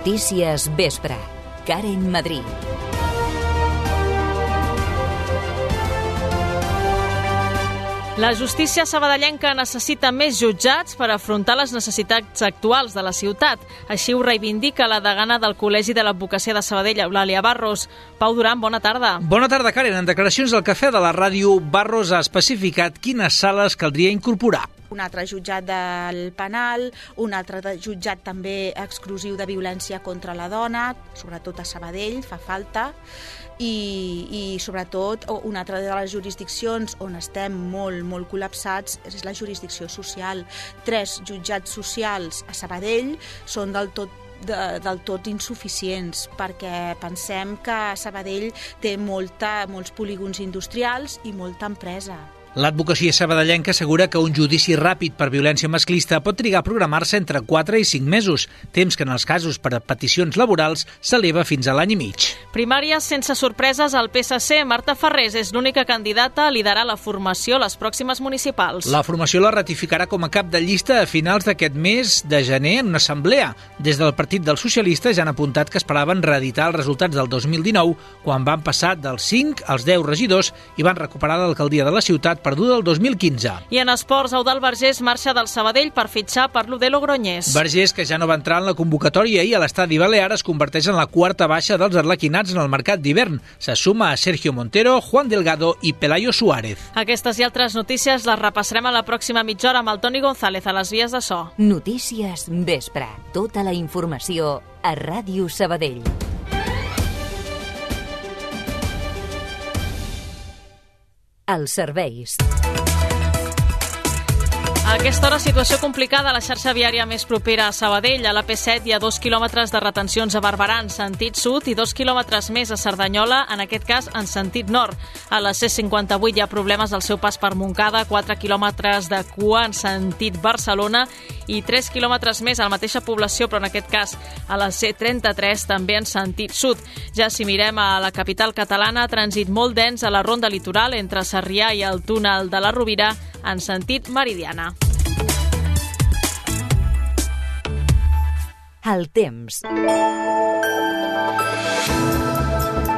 Notícies Vespre. Karen Madrid. La justícia sabadellenca necessita més jutjats per afrontar les necessitats actuals de la ciutat. Així ho reivindica la degana del Col·legi de l'Advocacia de Sabadell, Eulàlia Barros. Pau Duran, bona tarda. Bona tarda, Karen. En declaracions al Cafè de la Ràdio, Barros ha especificat quines sales caldria incorporar. Un altre jutjat del penal, un altre jutjat també exclusiu de violència contra la dona, sobretot a Sabadell, fa falta, i sobretot una altra de les jurisdiccions on estem molt col·lapsats és la jurisdicció social. 3 jutjats socials a Sabadell són del tot insuficients, perquè pensem que Sabadell té molts polígons industrials i molta empresa. L'advocacia sabadellenca assegura que un judici ràpid per violència masclista pot trigar a programar-se entre 4 i 5 mesos, temps que en els casos per a peticions laborals s'eleva fins a l'any i mig. Primàries sense sorpreses al PSC. Marta Ferrés és l'única candidata a liderar la formació a les pròximes municipals. La formació la ratificarà com a cap de llista a finals d'aquest mes de gener en una assemblea. Des del Partit dels Socialistes ja han apuntat que esperaven reeditar els resultats del 2019, quan van passar dels 5 als 10 regidors i van recuperar l'alcaldia de la ciutat perduda el 2015. I en esports, Eudald Vergés marxa del Sabadell per fitxar per l'Udel Logroñés. Vergés, que ja no va entrar en la convocatòria i a l'estadi Balear, es converteix en la quarta baixa dels arlequinats en el mercat d'hivern. Se suma a Sergio Montero, Juan Delgado i Pelayo Suárez. Aquestes i altres notícies les repassarem a la pròxima mitja hora amb el Toni González a les vies de so. Notícies Vespre. Tota la informació a Ràdio Sabadell. Els serveis. A aquesta hora, situació complicada a la xarxa viària més propera a Sabadell. A la P7 hi ha 2 quilòmetres de retencions a Barberà en sentit sud i 2 quilòmetres més a Cerdanyola, en aquest cas en sentit nord. A la C58 hi ha problemes al seu pas per Montcada, 4 quilòmetres de cua en sentit Barcelona i 3 quilòmetres més a la mateixa població, però en aquest cas a la C33 també en sentit sud. Ja si mirem a la capital catalana, trànsit molt dens a la ronda litoral entre Sarrià i el túnel de la Rovira en sentit meridiana. El temps.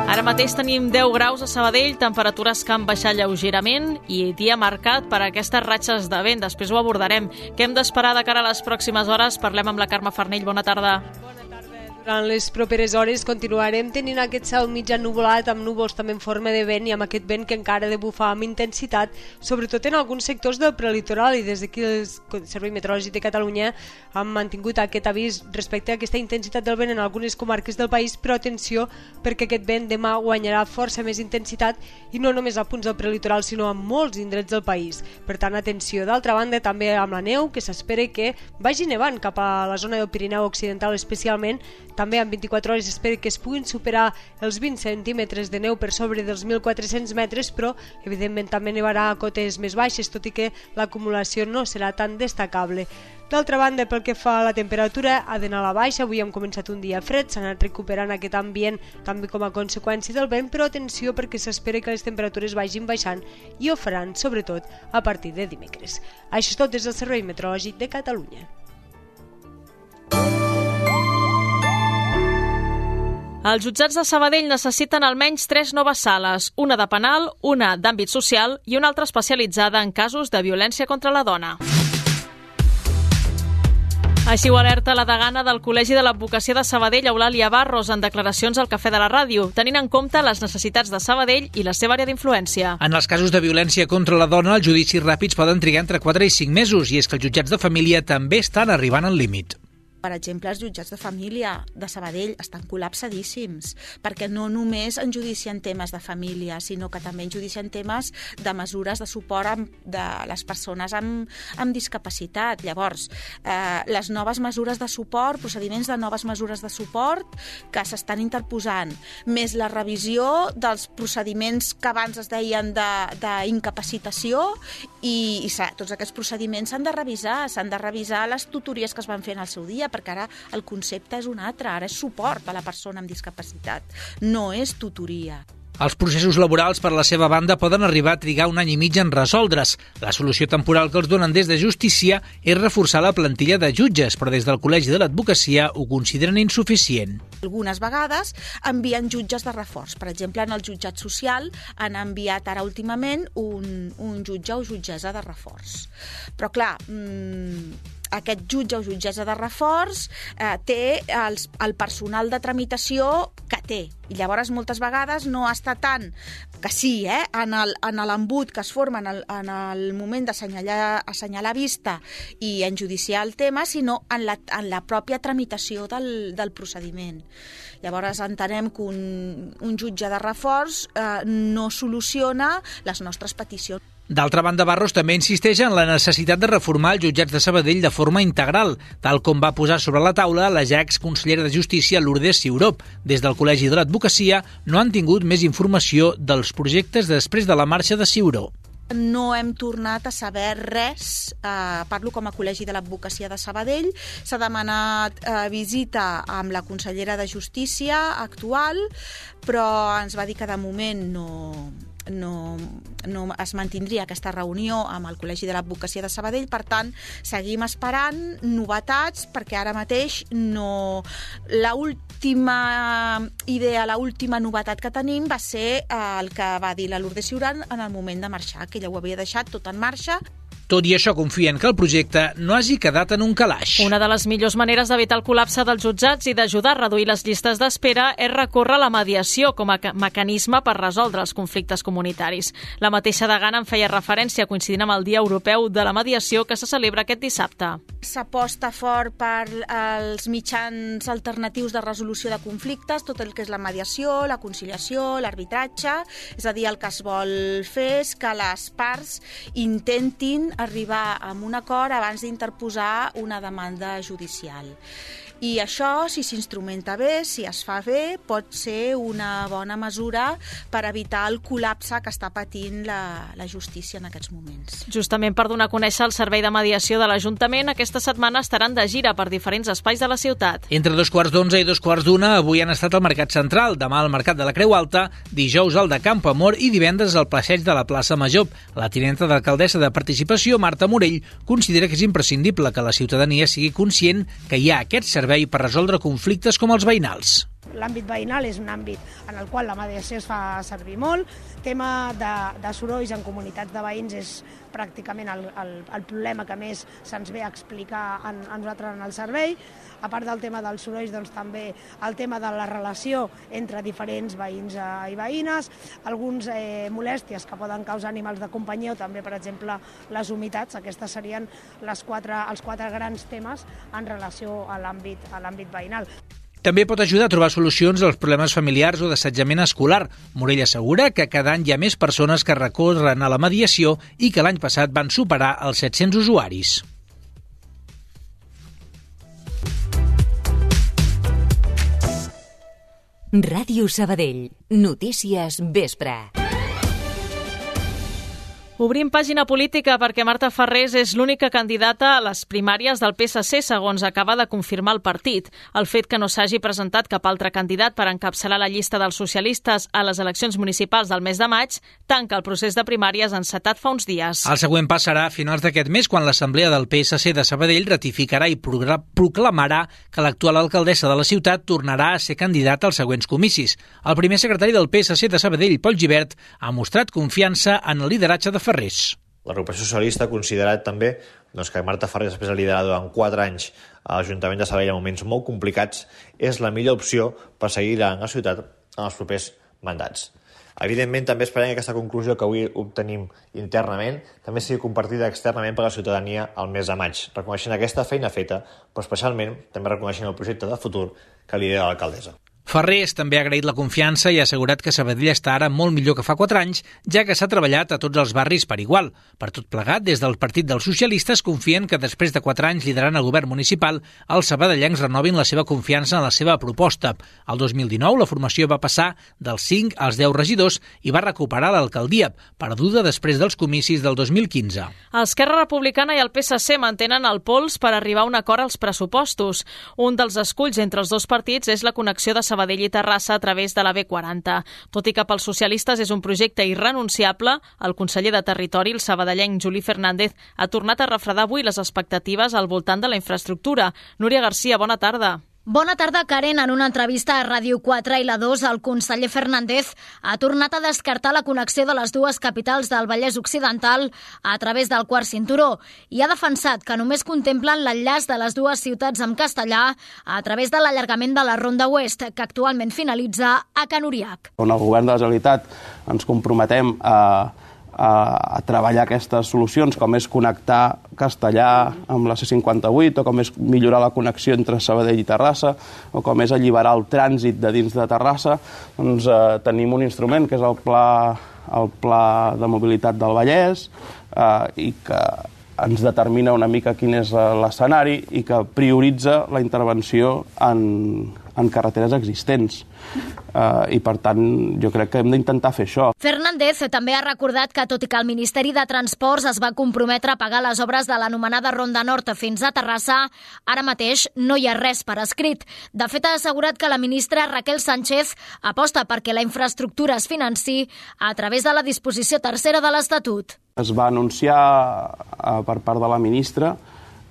Ara mateix tenim 10 graus a Sabadell, temperatures que han baixat lleugerament i dia marcat per aquestes ratxes de vent. Després ho abordarem. Què hem d'esperar de cara a les pròximes hores? Parlem amb la Carme Farnell. Bona tarda. Durant les properes hores continuarem tenint aquest cel mig ennuvolat amb núvols també en forma de vent i amb aquest vent que encara ha de bufar amb intensitat, sobretot en alguns sectors del prelitoral, i des d'aquí el Servei Meteorològic de Catalunya han mantingut aquest avís respecte a aquesta intensitat del vent en algunes comarques del país, però atenció perquè aquest vent demà guanyarà força més intensitat i no només a punts del prelitoral sinó a molts indrets del país. Per tant, atenció. D'altra banda, també amb la neu, que s'espera que vagi nevant cap a la zona del Pirineu Occidental especialment. També en 24 hores espera que es puguin superar els 20 centímetres de neu per sobre dels 1.400 metres, però evidentment també nevarà a cotes més baixes, tot i que l'acumulació no serà tan destacable. D'altra banda, pel que fa a la temperatura, ha d'anar a la baixa. Avui hem començat un dia fred, s'ha anat recuperant aquest ambient també com a conseqüència del vent, però atenció perquè s'espera que les temperatures vagin baixant i ho faran sobretot a partir de dimecres. Això és tot des del Servei Meteorològic de Catalunya. Els jutjats de Sabadell necessiten almenys 3 noves sales, una de penal, una d'àmbit social i una altra especialitzada en casos de violència contra la dona. Així ho alerta la degana del Col·legi de l'Advocacia de Sabadell, Eulàlia Barros, en declaracions al Cafè de la Ràdio, tenint en compte les necessitats de Sabadell i la seva àrea d'influència. En els casos de violència contra la dona, els judicis ràpids poden trigar entre 4 i 5 mesos, i és que els jutjats de família també estan arribant al límit. Per exemple, els jutjats de família de Sabadell estan col·lapsadíssims, perquè no només en judicien temes de família, sinó que també en judicien temes de mesures de suport de les persones amb discapacitat. Llavors, les noves mesures de suport, procediments de noves mesures de suport que s'estan interposant, més la revisió dels procediments que abans es deien d'incapacitació, i tots aquests procediments s'han de revisar les tutories que es van fer en el seu dia, perquè ara el concepte és un altre, ara és suport a la persona amb discapacitat, no és tutoria. Els processos laborals, per la seva banda, poden arribar a trigar 1 any i mig en resoldre's. La solució temporal que els donen des de Justícia és reforçar la plantilla de jutges, però des del Col·legi de l'Advocacia ho consideren insuficient. Algunes vegades envien jutges de reforç. Per exemple, en el jutjat social han enviat ara últimament un jutge o jutgessa de reforç. Però clar, aquest jutge o jutgessa de reforç té el personal de tramitació que té. I llavors moltes vegades no està tant que sí, en l'embut que es forma en el moment d'assenyalar vista i enjudiciar el tema, sinó en la pròpia tramitació del procediment. Llavors entenem que un jutge de reforç no soluciona les nostres peticions. D'altra banda, Barros també insisteix en la necessitat de reformar els jutjats de Sabadell de forma integral, tal com va posar sobre la taula la ja exconsellera de Justícia Lourdes Ciuró. Des del Col·legi de l'Advocacia no han tingut més informació dels projectes després de la marxa de Ciuró. No hem tornat a saber res, parlo com a Col·legi de l'Advocacia de Sabadell, s'ha demanat visita amb la consellera de Justícia actual, però ens va dir que de moment no es mantindria aquesta reunió amb el Col·legi de l'Advocacia de Sabadell, per tant, seguim esperant novetats, perquè ara mateix l'última idea, l'última novetat que tenim va ser el que va dir la Lourdes Ciuró en el moment de marxar, que ella ho havia deixat tot en marxa. Tot i això, confien que el projecte no hagi quedat en un calaix. Una de les millors maneres d'evitar el col·lapse dels jutjats i d'ajudar a reduir les llistes d'espera és recórrer a la mediació com a mecanisme per resoldre els conflictes comunitaris. La mateixa degana en feia referència coincidint amb el Dia Europeu de la Mediació que se celebra aquest dissabte. S'aposta fort per els mitjans alternatius de resolució de conflictes, tot el que és la mediació, la conciliació, l'arbitratge. És a dir, el que es vol fer és que les parts intentin arribar a un acord abans d'interposar una demanda judicial. I això, si s'instrumenta bé, si es fa bé, pot ser una bona mesura per evitar el col·lapse que està patint la justícia en aquests moments. Justament per donar a conèixer el servei de mediació de l'Ajuntament, aquesta setmana estaran de gira per diferents espais de la ciutat. Entre 2:15 i 2:15 avui han estat al Mercat Central, demà al Mercat de la Creu Alta, dijous al de Camp Amor i divendres al Passeig de la Plaça Major. La tinenta d'alcaldessa de Participació, Marta Morell, considera que és imprescindible que la ciutadania sigui conscient que hi ha aquest servei per resoldre conflictes com els veïnals. L'àmbit veïnal és un àmbit en el qual la mediació es fa servir molt. El tema de sorolls en comunitats de veïns és pràcticament el problema que més se'ns ve a explicar a nosaltres en el servei. A part del tema dels sorolls, doncs, també el tema de la relació entre diferents veïns i veïnes, alguns molèsties que poden causar animals de companyia o també, per exemple, les humitats. Aquestes serien els quatre grans temes en relació a l'àmbit veïnal. També pot ajudar a trobar solucions als problemes familiars o d'assetjament escolar. Morell assegura que cada any hi ha més persones que recorren a la mediació i que l'any passat van superar els 700 usuaris. Ràdio Sabadell. Notícies vespre. Obrim pàgina política perquè Marta Farrés és l'única candidata a les primàries del PSC, segons acaba de confirmar el partit. El fet que no s'hagi presentat cap altre candidat per encapçalar la llista dels socialistes a les eleccions municipals del mes de maig tanca el procés de primàries encetat fa uns dies. El següent pas serà a finals d'aquest mes, quan l'Assemblea del PSC de Sabadell ratificarà i proclamarà que l'actual alcaldessa de la ciutat tornarà a ser candidata als següents comicis. El primer secretari del PSC de Sabadell, Pol Gibert, ha mostrat confiança en el lideratge de Farrés. L'agrupació socialista ha considerat també que Marta Farrés, després de liderar durant 4 anys a l'Ajuntament de Sabadell en moments molt complicats, és la millor opció per seguir liderant la ciutat en els propers mandats. Evidentment, també esperem que aquesta conclusió que avui obtenim internament també sigui compartida externament per la ciutadania al mes de maig, reconeixent aquesta feina feta, però especialment també reconeixent el projecte de futur que lidera l'alcaldessa. Farrés també ha agraït la confiança i ha assegurat que Sabadell està ara molt millor que fa 4 anys, ja que s'ha treballat a tots els barris per igual. Per tot plegat, des del Partit dels Socialistes confien que després de 4 anys liderant el govern municipal, els sabadellencs renovin la seva confiança en la seva proposta. El 2019, la formació va passar dels 5 als 10 regidors i va recuperar l'alcaldia, perduda després dels comicis del 2015. Esquerra Republicana i el PSC mantenen el pols per arribar a un acord als pressupostos. Un dels esculls entre els dos partits és la connexió de Sabadell Sabadell i Terrassa a través de la B40. Tot i que pels socialistes és un projecte irrenunciable, el conseller de Territori, el sabadellenc Juli Fernández, ha tornat a refredar avui les expectatives al voltant de la infraestructura. Núria Garcia, bona tarda. Bona tarda, Karen. En una entrevista a Ràdio 4 i la 2, el conseller Fernández ha tornat a descartar la connexió de les dues capitals del Vallès Occidental a través del quart cinturó i ha defensat que només contemplen l'enllaç de les dues ciutats amb castellà a través de l'allargament de la Ronda Oest, que actualment finalitza a Can Uriac. On el govern de la Generalitat ens comprometem a treballar aquestes solucions, com és connectar Castellà amb la C58, o com és millorar la connexió entre Sabadell i Terrassa, o com és alliberar el trànsit de dins de Terrassa, doncs tenim un instrument que és el Pla de Mobilitat del Vallès, i que ens determina una mica quin és l'escenari i que prioritza la intervenció en carreteres existents. I, per tant, jo crec que hem d'intentar fer això. Fernández també ha recordat que, tot i que el Ministeri de Transports es va comprometre a pagar les obres de l'anomenada Ronda Nord fins a Terrassa, ara mateix no hi ha res per escrit. De fet, ha assegurat que la ministra Raquel Sánchez aposta perquè la infraestructura es financi a través de la disposició tercera de l'Estatut. Es va anunciar per part de la ministra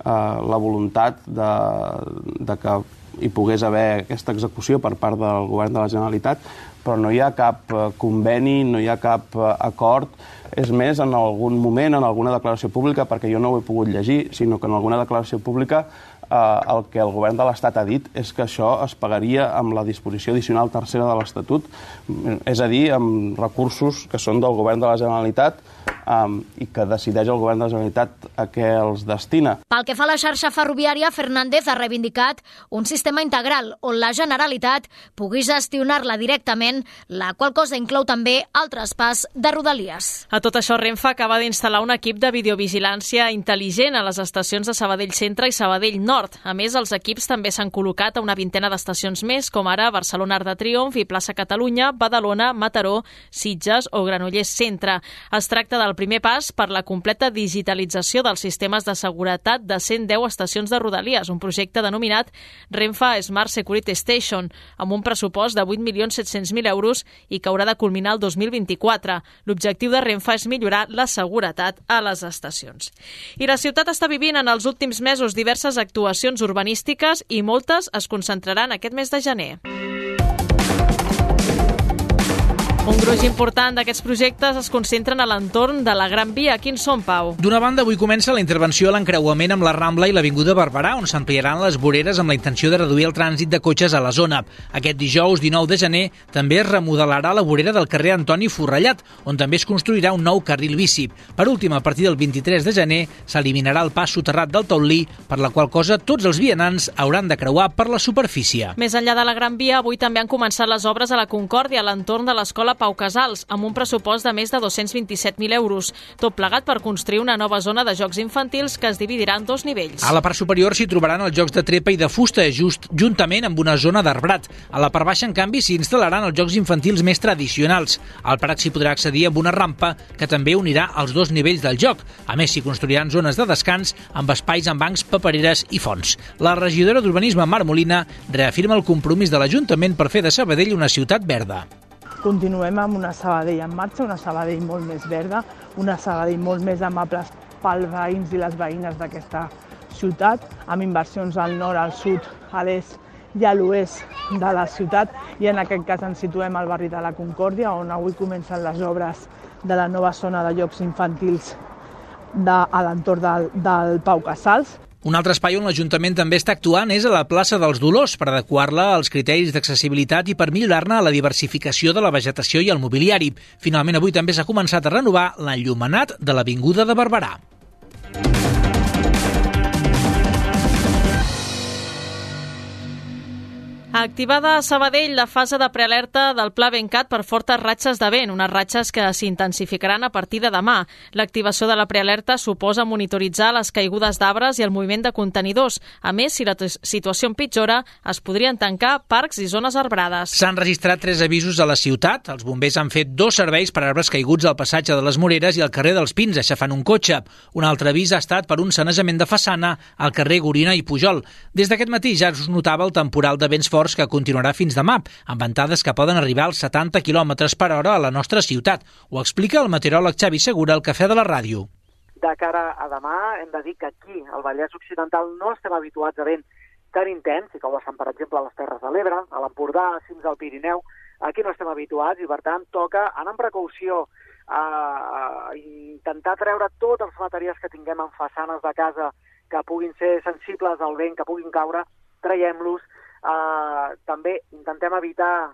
la voluntat de que hi pogués haver aquesta execució per part del govern de la Generalitat, però no hi ha cap conveni, no hi ha cap acord. És més, en algun moment, en alguna declaració pública, perquè jo no ho he pogut llegir, sinó que en alguna declaració pública el que el govern de l'Estat ha dit és que això es pagaria amb la disposició addicional tercera de l'Estatut, és a dir, amb recursos que són del govern de la Generalitat i que decideix el govern de la Generalitat a què els destina. Pel que fa a la xarxa ferroviària, Fernández ha reivindicat un sistema integral on la Generalitat pugui gestionar-la directament, la qual cosa inclou també el traspàs de Rodalies. A tot això, Renfe acaba d'instal·lar un equip de videovigilància intel·ligent a les estacions de Sabadell Centre i Sabadell Nord. A més, els equips també s'han col·locat a una vintena d'estacions més, com ara Barcelona Arc de Triomf i Plaça Catalunya, Badalona, Mataró, Sitges o Granollers Centre. Es tracta del primer pas per la completa digitalització dels sistemes de seguretat de 110 estacions de Rodalies, un projecte denominat Renfe Smart Security Station, amb un pressupost de 8.700.000 euros i que haurà de culminar el 2024. L'objectiu de Renfe és millorar la seguretat a les estacions. I la ciutat està vivint en els últims mesos diverses actuacions urbanístiques i moltes es concentraran aquest mes de gener. Un gruix important d'aquests projectes es concentren a l'entorn de la Gran Via. Quins són, Pau? D'una banda, avui comença la intervenció a l'encreuament amb la Rambla i l'Avinguda Barberà, on s'ampliaran les voreres amb la intenció de reduir el trànsit de cotxes a la zona. Aquest dijous, 19 de gener, també es remodelarà la vorera del carrer Antoni Forrellat, on també es construirà un nou carril bici. Per últim, a partir del 23 de gener, s'eliminarà el pas soterrat del Taulí, per la qual cosa tots els vianants hauran de creuar per la superfície. Més enllà de la Gran Via, avui també han començat les obres a la Concòrdia, a l'entorn de l'Escola Pau Casals, amb un pressupost de més de 227.000 euros. Tot plegat per construir una nova zona de jocs infantils que es dividirà en dos nivells. A la part superior s'hi trobaran els jocs de trepa i de fusta, juntament amb una zona d'arbrat. A la part baixa, en canvi, s'hi instal·laran els jocs infantils més tradicionals. Al Prat s'hi podrà accedir amb una rampa que també unirà els dos nivells del joc. A més, s'hi construiran zones de descans amb espais amb bancs, papereres i fonts. La regidora d'Urbanisme, Mar Molina, reafirma el compromís de l'Ajuntament per fer de Sabadell una ciutat verda. Continuem amb una Sabadell en marxa, una Sabadell molt més verda, una Sabadell molt més amable pels veïns i les veïnes d'aquesta ciutat, amb inversions al nord, al sud, a l'est i a l'oest de la ciutat, i en aquest cas ens situem al barri de la Concòrdia, on avui comencen les obres de la nova zona de jocs infantils a l'entorn del Pau Casals. Un altre espai on l'Ajuntament també està actuant és a la plaça dels Dolors per adequar-la als criteris d'accessibilitat i per millorar-ne la diversificació de la vegetació i el mobiliari. Finalment, avui també s'ha començat a renovar l'enllumenat de l'Avinguda de Barberà. Activada a Sabadell la fase de prealerta del Pla Bencat per fortes ratxes de vent, unes ratxes que s'intensificaran a partir de demà. L'activació de la prealerta suposa monitoritzar les caigudes d'arbres i el moviment de contenidors. A més, si la situació empitjora, es podrien tancar parcs i zones arbrades. S'han registrat 3 avisos a la ciutat. Els bombers han fet 2 serveis per arbres caiguts al passatge de les Moreres i al carrer dels Pins, aixafant un cotxe. Un altre avís ha estat per un sanejament de façana al carrer Gorina i Pujol. Des d'aquest matí ja es notava el temporal de vents forts forts que continuarà fins demà, amb ventades que poden arribar als 70 km per hora a la nostra ciutat. Ho explica el meteoròleg Xavi Segura al Cafè de la Ràdio. De cara a demà hem de dir que aquí, al Vallès Occidental, no estem habituats a vent tan intens, i com ho estan, per exemple, a les Terres de l'Ebre, a l'Empordà, a cims del Pirineu. Aquí no estem habituats i, per tant, toca anar amb precaució a intentar treure tots els materials que tinguem en façanes de casa que puguin ser sensibles al vent, que puguin caure, traiem-los. També intentem evitar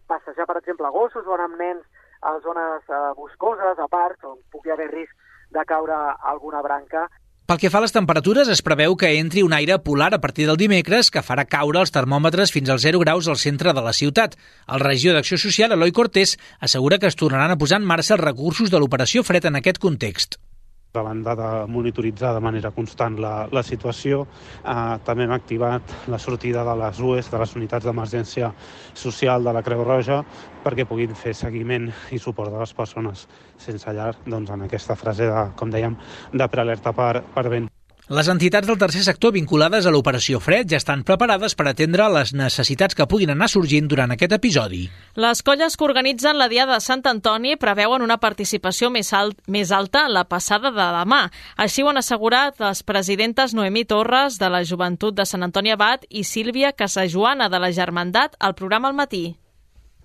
passejar, per exemple, a gossos o anar amb nens a zones boscoses, a parcs, on pugui haver risc de caure alguna branca. Pel que fa a les temperatures, es preveu que entri un aire polar a partir del dimecres que farà caure els termòmetres fins als 0 graus al centre de la ciutat. El regidor d'Acció Social, Eloi Cortés, assegura que es tornaran a posar en marxa els recursos de l'operació Fred en aquest context. A banda de monitoritzar de manera constant la situació, també hem activat la sortida de les UES, de les unitats d'emergència social de la Creu Roja, perquè puguin fer seguiment i suport de les persones sense llar, doncs en aquesta fase, com dèiem, de prealerta per vent. Les entitats del tercer sector vinculades a l'operació Fred ja estan preparades per atendre les necessitats que puguin anar sorgint durant aquest episodi. Les colles que organitzen la Diada de Sant Antoni preveuen una participació més alta en la passada de demà. Així ho han assegurat les presidentes Noemí Torres, de la Joventut de Sant Antoni Abat, i Sílvia Casajoana, de la Germandat, al programa Al matí.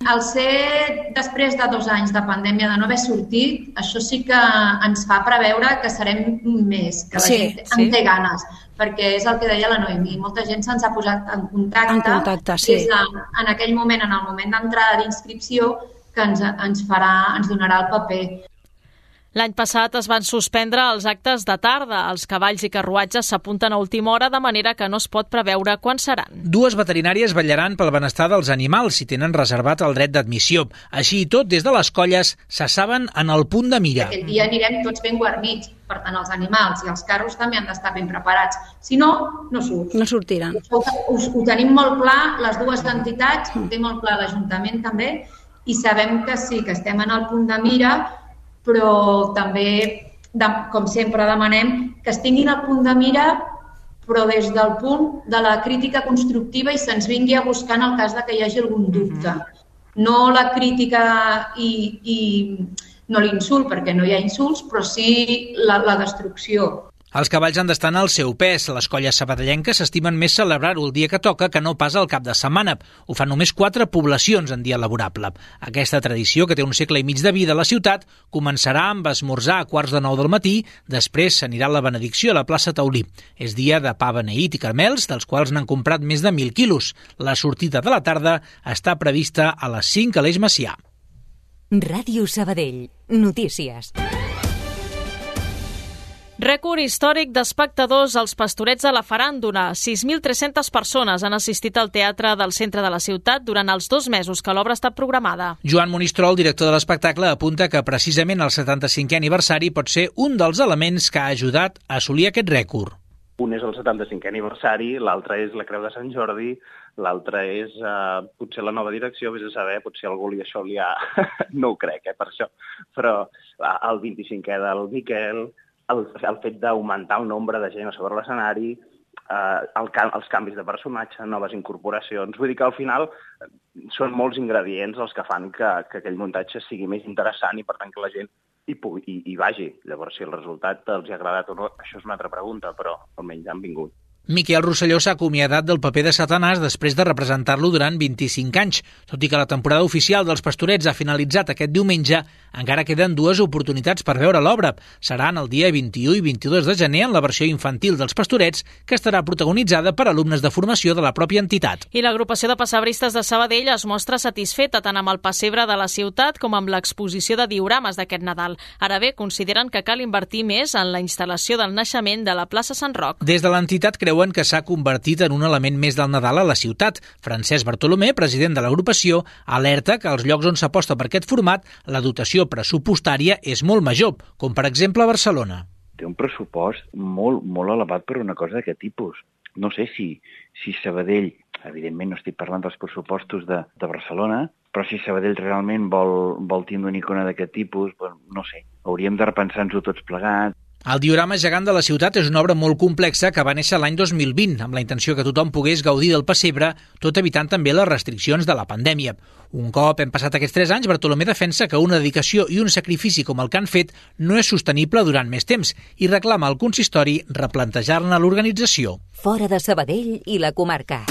Al ser després de 2 anys de pandèmia de no haver sortit, això sí que ens fa preveure que serem més, que la gent en té ganes, perquè és el que deia la Noemí, molta gent se'ns ha posat en contacte sí. En aquell moment, en el moment d'entrada d'inscripció, que ens donarà el paper. L'any passat es van suspendre els actes de tarda. Els cavalls i carruatges s'apunten a última hora, de manera que no es pot preveure quan seran. 2 veterinàries vetllaran pel benestar dels animals si tenen reservat el dret d'admissió. Així i tot, des de les colles s'assaben en el punt de mira. Aquest dia anirem tots ben guarnits, per tant els animals i els carros també han d'estar ben preparats. Si no, no surt. No sortiran. Ho tenim molt clar, les dues entitats, ho té molt clar l'Ajuntament també, i sabem que sí, que estem en el punt de mira, però també, com sempre, demanem que es tinguin al punt de mira, però des del punt de la crítica constructiva i se'ns vingui a buscar en el cas de que hi hagi algun dubte. No la crítica i no l'insult, perquè no hi ha insults, però sí la destrucció. Els cavalls han d'estar en el seu pes. Les colles sabadellenques s'estimen més celebrar-ho el dia que toca que no pas al cap de setmana. Ho fan només 4 poblacions en dia laborable. Aquesta tradició, que té un segle i mig de vida a la ciutat, començarà amb esmorzar a 8:45 del matí, després s'anirà a la benedicció a la plaça Taulí. És dia de pa beneït i caramels, dels quals n'han comprat més de 1.000 quilos. La sortida de la tarda està prevista a les 5 a l'Eix Macià. Ràdio Sabadell. Notícies. Rècord històric d'espectadors als Pastorets de la Faràndula. 6.300 persones han assistit al teatre del centre de la ciutat durant els 2 mesos que l'obra ha estat programada. Joan Monistrol, director de l'espectacle, apunta que precisament el 75è aniversari pot ser un dels elements que ha ajudat a assolir aquest rècord. Un és el 75è aniversari, l'altre és la Creu de Sant Jordi, l'altre és potser la nova direcció, vés a saber, potser algú això li ha... no ho crec, per això. Però el 25è del Miquel, el fet d'augmentar el nombre de gent a sobre l'escenari, els canvis de personatge, noves incorporacions. Vull dir que al final són molts ingredients els que fan que aquell muntatge sigui més interessant i per tant que la gent hi vagi. Llavors, si el resultat els ha agradat o no, això és una altra pregunta, però almenys han vingut. Miquel Rosselló s'ha acomiadat del paper de Satanàs després de representar-lo durant 25 anys. Tot i que la temporada oficial dels Pastorets ha finalitzat aquest diumenge, encara queden 2 oportunitats per veure l'obra. Seran el dia 21 i 22 de gener en la versió infantil dels Pastorets, que estarà protagonitzada per alumnes de formació de la pròpia entitat. I l'agrupació de pessebristes de Sabadell es mostra satisfeta tant amb el pessebre de la ciutat com amb l'exposició de diorames d'aquest Nadal. Ara bé, consideren que cal invertir més en la instal·lació del naixement de la plaça Sant Roc. Des de l'entitat creuen que s'ha convertit en un element més del Nadal a la ciutat. Francesc Bartolomé, president de l'agrupació, alerta que als llocs on s'aposta per aquest format la dotació pressupostària és molt major, com per exemple a Barcelona. Té un pressupost molt elevat per una cosa d'aquest tipus. No sé si Sabadell, evidentment no estic parlant dels pressupostos de Barcelona, però si Sabadell realment vol tindre una icona d'aquest tipus, no sé, hauríem de repensar-nos-ho tots plegats. El diorama gegant de la ciutat és una obra molt complexa que va néixer l'any 2020, amb la intenció que tothom pogués gaudir del pessebre, tot evitant també les restriccions de la pandèmia. Un cop hem passat aquests 3 anys, Bartolomé defensa que una dedicació i un sacrifici com el que han fet no és sostenible durant més temps i reclama al consistori replantejar-ne l'organització. Fora de Sabadell i la comarca.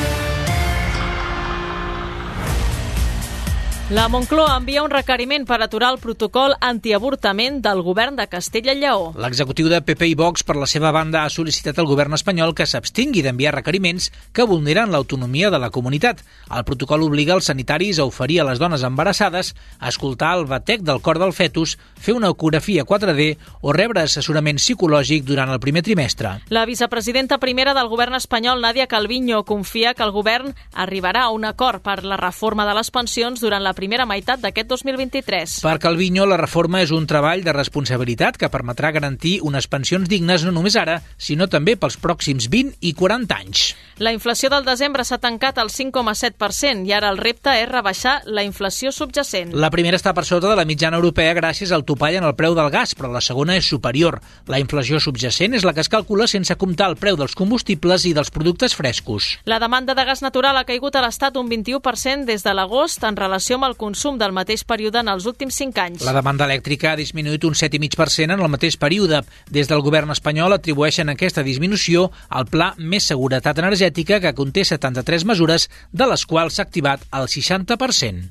La Moncloa envia un requeriment per aturar el protocol antiavortament del govern de Castella i Lleó. L'executiu de PP i Vox, per la seva banda, ha sol·licitat al govern espanyol que s'abstingui d'enviar requeriments que vulneren l'autonomia de la comunitat. El protocol obliga els sanitaris a oferir a les dones embarassades a escoltar el batec del cor del fetus, fer una ecografia 4D o rebre assessorament psicològic durant el primer trimestre. La vicepresidenta primera del govern espanyol, Nadia Calviño, confia que el govern arribarà a un acord per la reforma de les pensions durant la primera meitat d'aquest 2023. Per Calviño, la reforma és un treball de responsabilitat que permetrà garantir unes pensions dignes no només ara, sinó també pels pròxims 20 i 40 anys. La inflació del desembre s'ha tancat al 5,7% i ara el repte és rebaixar la inflació subjacent. La primera està per sota de la mitjana europea gràcies al topall en el preu del gas, però la segona és superior. La inflació subjacent és la que es calcula sense comptar el preu dels combustibles i dels productes frescos. La demanda de gas natural ha caigut a l'Estat un 21% des de l'agost en relació amb el consum del mateix període en els últims 5 anys. La demanda elèctrica ha disminuït un 7,5% en el mateix període. Des del govern espanyol atribueixen aquesta disminució al Pla Més Seguretat Energètica, que conté 73 mesures, de les quals s'ha activat el 60%.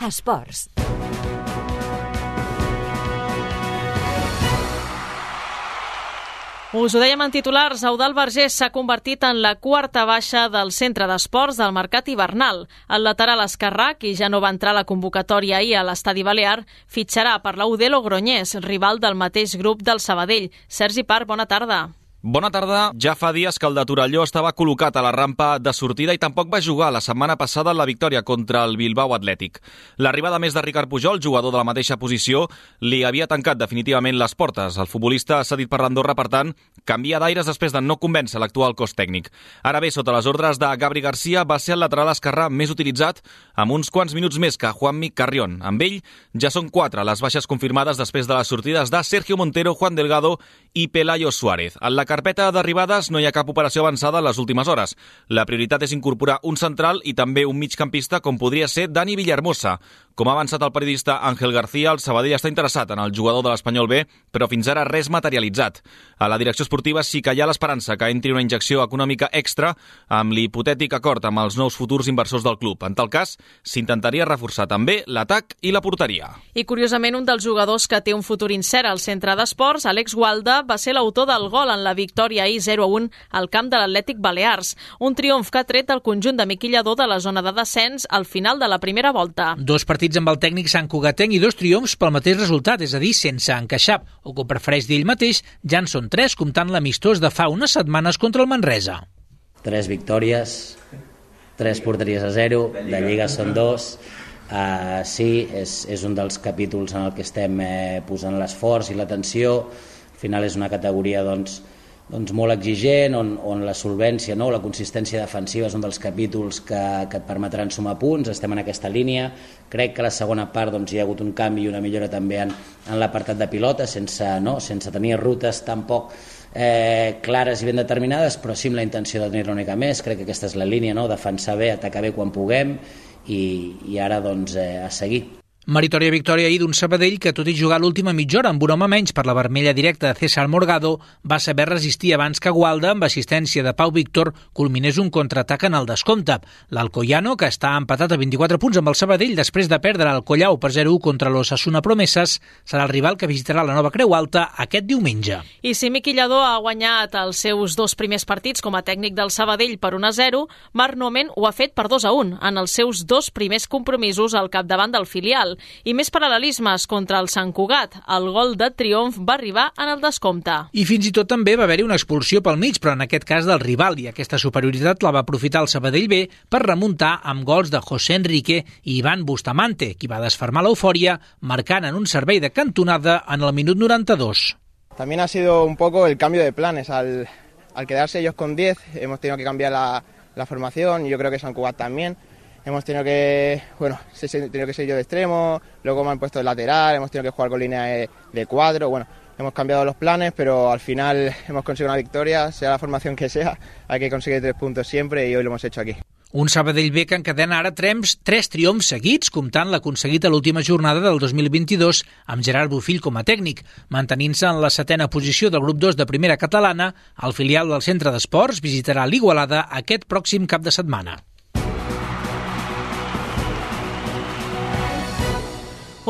Esports. Us ho dèiem en titulars, Eudald Vergés s'ha convertit en la quarta baixa del centre d'esports del mercat hivernal. El lateral esquerrà, qui ja no va entrar a la convocatòria ahir a l'Estadi Balear, fitxarà per la UD Logroñés, rival del mateix grup del Sabadell. Sergi Parr, bona tarda. Bona tarda. Ja fa dies que el de Torelló estava col·locat a la rampa de sortida i tampoc va jugar la setmana passada en la victòria contra el Bilbao Atlètic. L'arribada més de Ricard Pujol, jugador de la mateixa posició, li havia tancat definitivament les portes. El futbolista cedit per l'Andorra, per tant, canvia d'aires després de no convèncer l'actual cos tècnic. Ara bé, sota les ordres de Gabri Garcia, va ser el lateral esquerrà més utilitzat amb uns quants minuts més que Juanmi Carrión. Amb ell ja són 4 les baixes confirmades després de les sortides de Sergio Montero, Juan Delgado i Pelayo Suárez. En la carpeta d'arribades no hi ha cap operació avançada en les últimes hores. La prioritat és incorporar un central i també un migcampista com podria ser Dani Villahermosa. Com ha avançat el periodista Ángel García, el Sabadell està interessat en el jugador de l'Espanyol B, però fins ara res materialitzat. A la direcció esportiva sí que hi ha l'esperança que entri una injecció econòmica extra amb l'hipotètic acord amb els nous futurs inversors del club. En tal cas, s'intentaria reforçar també l'atac i la porteria. I curiosament, un dels jugadors que té un futur incert al centre d'esports, Àlex Gualda, va ser l'autor del gol en la victòria ahir 0-1 al camp de l'Atlètic Balears. Un triomf que ha tret el conjunt de Miquel Lladó de la zona de descens al final de la primera volta. 2 partits amb el tècnic santcugatenc i 2 triomfs pel mateix resultat, és a dir, sense encaixar, o com prefereix dir ell mateix, ja en són 3 comptant l'amistós de fa unes setmanes contra el Manresa. 3 victòries, 3 porteries a 0, de Lliga són 2. Sí, és un dels capítols en el que estem posant l'esforç i l'atenció. Al final és una categoria doncs molt exigent, on la solvència, la consistència defensiva és un dels capítols que et permetran sumar punts. Estem en aquesta línia. Crec que a la segona part hi ha hagut un canvi i una millora també en l'apartat de pilota, sense tenir rutes tampoc clares i ben determinades, però sí amb la intenció de tenir-ne una mica més. Crec que aquesta és la línia, defensar bé, atacar bé quan puguem i ara a seguir. Meritòria victòria ahir d'un Sabadell que, tot i jugar l'última mitja hora amb un home menys per la vermella directa de César Morgado, va saber resistir abans que Gualda, amb assistència de Pau Víctor, culminés un contraatac en el descompte. L'Alcoyano, que està empatat a 24 punts amb el Sabadell després de perdre el Collau per 0-1 contra l'Osasuna Promeses, serà el rival que visitarà la Nova Creu Alta aquest diumenge. I si Miquel Lladó ha guanyat els seus 2 primers partits com a tècnic del Sabadell per 1-0, Marc Nomen ho ha fet per 2-1 en els seus 2 primers compromisos al capdavant del filial. I més paral·lelismes contra el Sant Cugat. El gol de triomf va arribar en el descompte. I fins i tot també va haver-hi una expulsió pel mig, però en aquest cas del rival, i aquesta superioritat la va aprofitar el Sabadell B per remuntar amb gols de José Enrique i Iván Bustamante, qui va desfermar l'eufòria marcant en un servei de cantonada en el minut 92. También ha sido un poco el cambio de planes. Al quedarse ellos con 10, hemos tenido que cambiar la formación, y yo creo que Sant Cugat también. hemos tenido que, he tenido que ser yo de extremo, luego me han puesto de lateral, hemos tenido que jugar con línea de 4, hemos cambiado los planes, pero al final hemos conseguido una victoria, sea la formación que sea, hay que conseguir 3 puntos siempre y hoy lo hemos hecho aquí. Un Sabadell B que encadena ara 3 triomfs seguits, comptant l'aconseguit a l'última jornada del 2022 amb Gerard Bofill com a tècnic, mantenint-se en la 7a posició del grup 2 de primera catalana. El filial del Centre d'Esports visitarà l'Igualada aquest pròxim cap de setmana.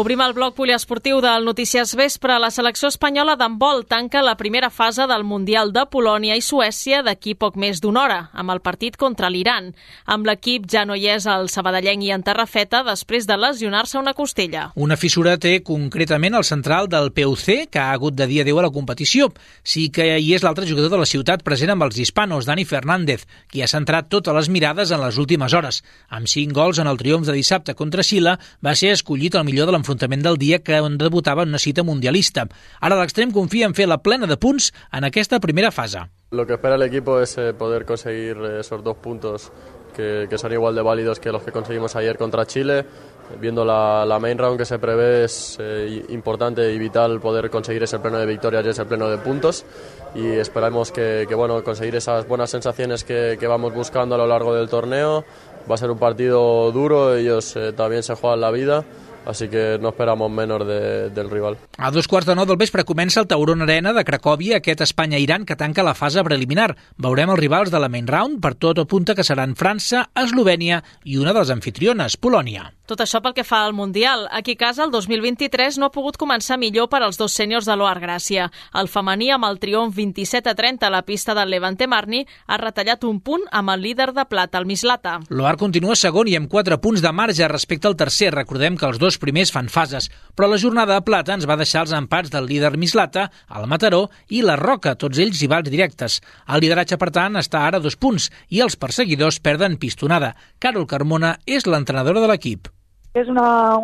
Obrim el bloc poliesportiu del Notícies Vespre. La selecció espanyola d'handbol tanca la primera fase del Mundial de Polònia i Suècia d'aquí poc més d'una hora, amb el partit contra l'Iran. Amb l'equip ja no hi és el sabadellenc i en Terrafeta després de lesionar-se una costella. Una fissura té concretament el central del PUC, que ha hagut de dir adéu a la competició. Sí que hi és l'altre jugador de la ciutat present amb els hispanos, Dani Fernández, qui ha centrat totes les mirades en les últimes hores. Amb 5 gols en el triomf de dissabte contra Xile, va ser escollit el millor de l'enfrontament del dia que debutava en una cita mundialista. Ara l'extrem confia en fer la plena de punts en aquesta primera fase. Lo que espera el equipo es poder conseguir esos 2 puntos que son igual de válidos que los que conseguimos ayer contra Chile. Viendo la main round que se prevé, es importante y vital poder conseguir ese pleno de victorias y ese pleno de puntos, y esperamos que conseguir esas buenas sensaciones que vamos buscando a lo largo del torneo. Va a ser un partido duro, ellos también se juegan la vida, així que no esperamos menos del rival. A 2:15 del vespre comença el Tauron Arena de Cracòvia, aquest Espanya-Iran que tanca la fase preliminar. Veurem els rivals de la main round, per tot apunta que seran França, Eslovènia i una de les anfitriones, Polònia. Tot això pel que fa al Mundial. Aquí a casa, el 2023 no ha pogut començar millor per als 2 sèniors de l'Oar Gràcia. El femení, amb el triomf 27-30 a la pista del Levante Marni, ha retallat un punt amb el líder de plata, el Mislata. L'Oar continua segon i amb 4 punts de marge respecte al tercer. Recordem que els 2 primers fan fases, però la jornada de plata ens va deixar els empats del líder Mislata, el Mataró i la Roca, tots ells rivals directes. El lideratge, per tant, està ara a 2 punts i els perseguidors perden pistonada. Carol Carmona és l'entrenadora de l'equip. És una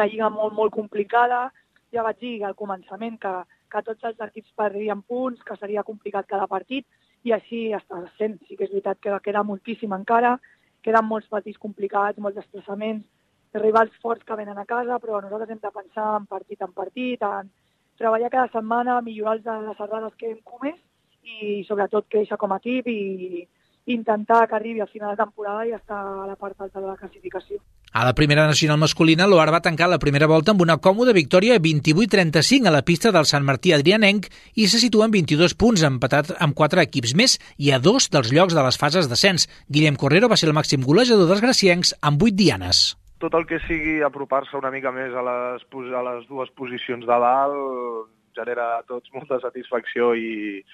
lliga molt complicada. Ja vaig dir al començament que tots els equips perdrien punts, que seria complicat cada partit, i així està sent. Sí que és veritat que queda moltíssim encara, queden molts partits complicats, molts desplaçaments, rivals forts que venen a casa, però nosaltres hem de pensar en partit, en treballar cada setmana, millorar les errades que hem comès i sobretot créixer com a equip i intentar que arribi al final de temporada i estar a la part alta de la classificació. A la primera nacional masculina, l'Oar va tancar la primera volta amb una còmoda victòria 28-35 a la pista del Sant Martí Adrianenc i se situa en 22 punts, empatat amb 4 equips més i a 2 dels llocs de les fases d'ascens. Guillem Correro va ser el màxim golejador dels graciencs amb 8 dianes. Tot el que sigui apropar-se una mica més a les 2 posicions de dalt genera a tots molta satisfacció i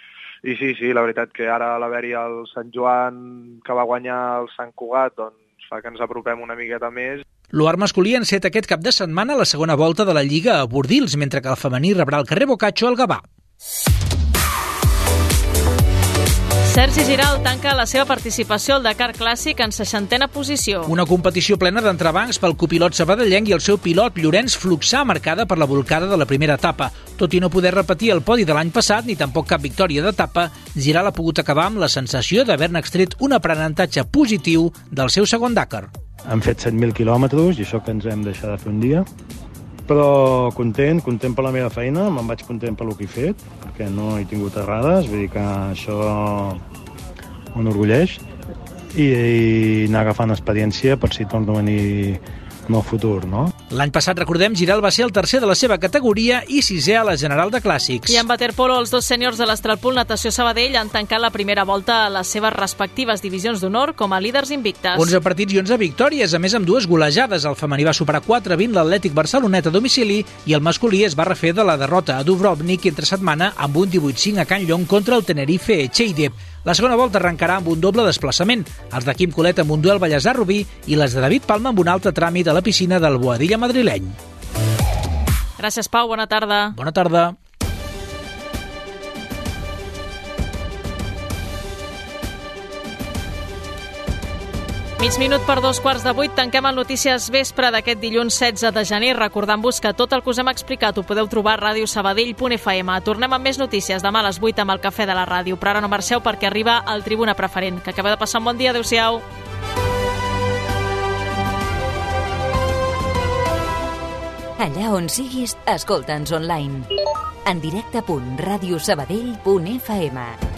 sí, la veritat que ara a l'haver-hi el Sant Joan que va guanyar el Sant Cugat doncs fa que ens apropem una miqueta més. L'Oar masculí enceta aquest cap de setmana la segona volta de la Lliga a Bordils, mentre que el femení rebrà el carrer Boccaccio al Gavà. Sergi Giral tanca la seva participació al Dakar Clàssic en 60a posició. Una competició plena d'entrebancs pel copilot sabadellenc i el seu pilot Llorenç Fluxà, marcada per la bolcada de la primera etapa. Tot i no poder repetir el podi de l'any passat, ni tampoc cap victòria d'etapa, Giral ha pogut acabar amb la sensació d'haver-ne extret un aprenentatge positiu del seu segon Dakar. Hem fet 7.000 quilòmetres i això que ens hem deixat de fer un dia, però content per la meva feina, me'n vaig content per el que he fet, perquè no he tingut errades, vull dir que això m'enorgulleix, i anar agafant experiència per si torno a venir en el futur, no? L'any passat, recordem, Giral va ser el tercer de la seva categoria i 6è a la General de Clàssics. I en waterpolo, els 2 sèniors de l'Estralpool Natació Sabadell han tancat la primera volta a les seves respectives divisions d'honor com a líders invictes. 11 partits i 11 victòries, a més amb 2 golejades. El femení va superar 4-20 l'Atlètic Barcelonet a domicili i el masculí es va refer de la derrota a Dubrovnik entre setmana amb un 18-5 a Can Llong contra el Tenerife Echeider. La segona volta arrencarà amb un doble desplaçament, els de Quim Colet amb un duel Vallèsar-Rubí i les de David Palma amb un altre tràmit a la piscina del Boadilla madrileny. Gràcies, Pau. Bona tarda. Bona tarda. Mig minut per 2:15, tanquem el Notícies Vespre d'aquest dilluns 16 de gener, recordant-vos que tot el que us hem explicat ho podeu trobar a radiosabadell.fm. Tornem amb més notícies demà a les 8 amb el Cafè de la Ràdio, però ara no marxeu perquè arriba el Tribuna Preferent. Que acabeu de passar un bon dia. Adéu-siau. Allà on siguis, escolta'ns online. En directe.radiosabadell.fm